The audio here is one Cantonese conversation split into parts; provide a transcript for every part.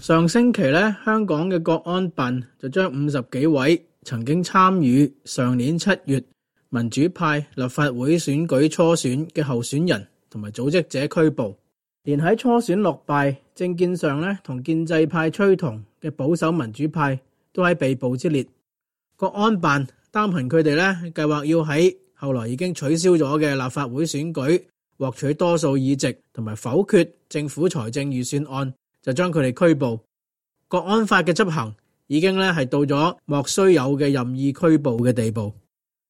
上星期咧，香港嘅國安辦就將50幾位曾經參與上年7月民主派立法會選舉初選嘅候選人同埋組織者拘捕，連喺初選落敗、政見上咧同建制派趨同嘅保守民主派都喺被捕之列。國安辦擔憑佢哋咧計劃要喺後來已經取消咗嘅立法會選舉獲取多數議席同埋否決政府財政預算案，就將佢哋拘捕。國安法嘅執行已經咧係到咗莫須有嘅任意拘捕嘅地步。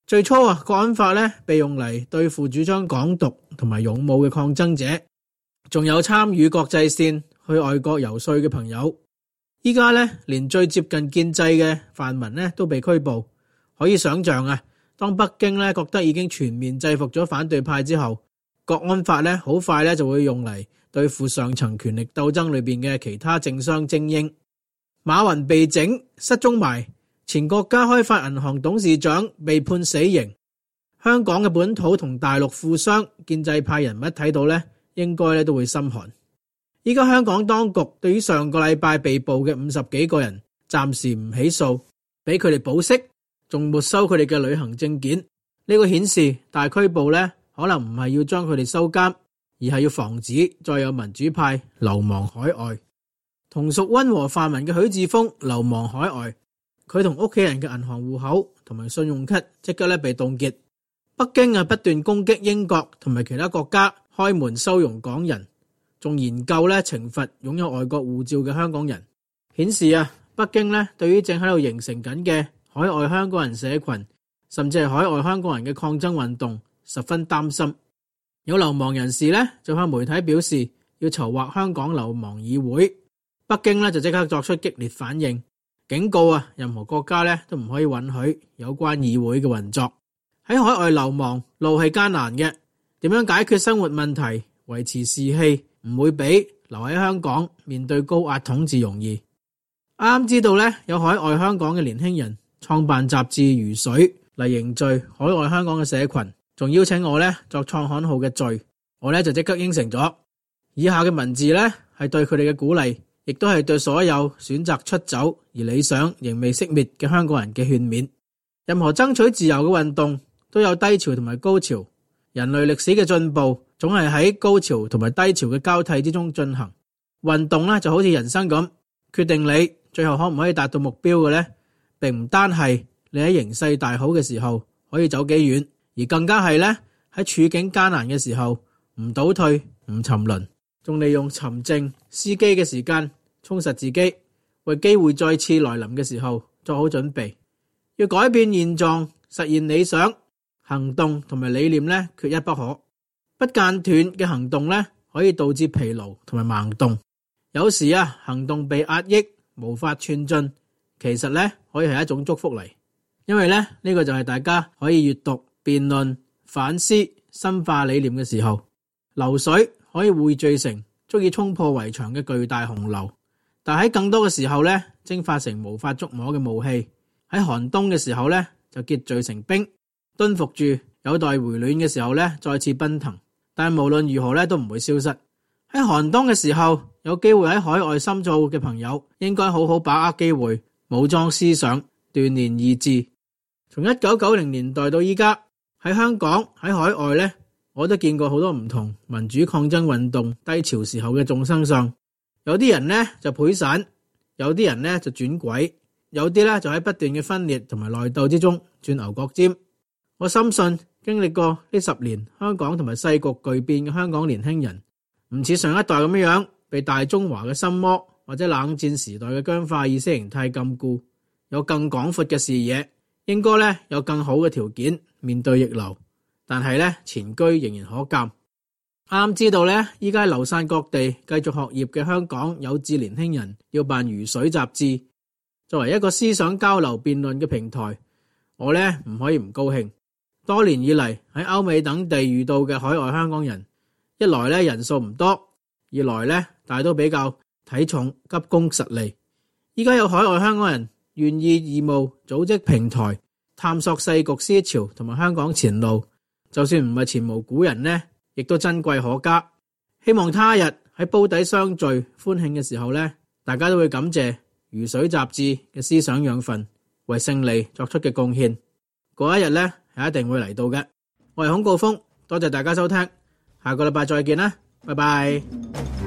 最初國安法咧被用嚟對付主張港獨同埋勇武嘅抗爭者，仲有參與國際線去外國遊說嘅朋友。依家咧連最接近建制嘅泛民咧都被拘捕，可以想象啊，當北京咧覺得已經全面制服咗反對派之後，國安法咧好快咧就會用嚟對付上層權力鬥爭裏邊嘅其他政商精英。馬雲被整失蹤埋，前國家開發銀行董事長被判死刑。香港嘅本土同大陸富商建制派人物睇到咧，應該咧都會心寒。依家香港當局對於上個禮拜被捕嘅50幾個人暫時唔起訴，俾佢哋保釋，仲沒收佢哋嘅旅行證件。呢個顯示大拘捕咧可能唔係要將佢哋收監，而係要防止再有民主派流亡海外。同屬溫和泛民嘅許智峰流亡海外，佢同屋企人嘅銀行戶口同埋信用卡即刻咧被凍結。北京不斷攻擊英國同埋其他國家開門收容港人，仲研究咧懲罰擁有外國護照嘅香港人，顯示北京咧對於正喺度形成緊嘅海外香港人社群，甚至係海外香港人嘅抗爭運動十分擔心。有流亡人士咧就向媒體表示要籌劃香港流亡議會。北京咧就即刻作出激烈反應，警告任何國家咧都唔可以允許有關議會嘅運作。喺海外流亡路係艱難嘅，點樣解決生活問題、維持士氣，唔會比留喺香港面對高壓統治容易。啱知道咧有海外香港嘅年輕人創辦雜誌《如水》嚟凝聚海外香港嘅社群，仲邀請我咧作創刊號嘅序，我咧就即刻應承咗。以下嘅文字咧係對佢哋嘅鼓勵，亦都係對所有選擇出走而理想仍未熄滅嘅香港人嘅勸勉。任何爭取自由嘅運動都有低潮同埋高潮，人類歷史嘅進步總係喺高潮同埋低潮嘅交替之中進行。運動咧就好似人生咁，決定你最後可唔可以達到目標嘅咧，並唔單係你喺形勢大好嘅時候可以走幾遠，而更加係咧喺處境艱難嘅時候唔倒退、唔沉淪，仲利用沉靜司機嘅時間充實自己，為機會再次來臨嘅時候做好準備。要改變現狀、實現理想，行動同埋理念咧缺一不可。不間斷嘅行動咧可以導致疲勞同埋盲動。有時行動被壓抑，無法寸進，其實咧可以係一種祝福嚟，因為咧呢個就係大家可以閱讀、辯論、反思、深化理念嘅時候。流水可以匯聚成足以衝破圍牆嘅巨大洪流，但喺更多嘅時候咧蒸發成無法觸摸嘅霧氣。喺寒冬嘅時候咧就結聚成冰，蹲伏住有待回暖嘅時候咧再次奔騰。但無論如何咧都唔會消失。喺寒冬嘅時候，有機會喺海外深造嘅朋友應該好好把握機會，武裝思想，鍛鍊意志。從1990年代到依家，喺香港喺海外咧，我都見過好多唔同民主抗爭運動低潮時候嘅眾生相。有啲人咧就潰散，有啲人咧就轉軌，有啲咧就喺不斷嘅分裂同埋內鬥之中轉牛角尖。我深信經歷過呢10年香港同埋世局巨變嘅香港年輕人，唔似上一代咁樣被大中華嘅心魔或者冷戰時代嘅僵化意識形態禁錮，有更廣闊嘅視野，應該咧有更好嘅條件面對逆流。但係咧前車仍然可鑑。啱知道咧，依家流散各地繼續學業嘅香港有志年輕人要辦如水雜誌，作為一個思想交流辯論嘅平台，我咧唔可以唔高興。多年以嚟喺歐美等地遇到嘅海外香港人，一來咧人數唔多，二來咧大都比較體重急功實利。依家有海外香港人願意義務組織平台，探索世局思潮同埋香港前路，就算唔係前無古人呢，亦都珍貴可嘉。希望他日喺煲底相聚歡慶嘅時候呢，大家都會感謝如水雜誌嘅思想養分為勝利作出嘅貢獻。嗰一日呢，係一定會嚟到嘅。我係孔誥烽，多謝大家收聽，下個禮拜再見啦，拜拜。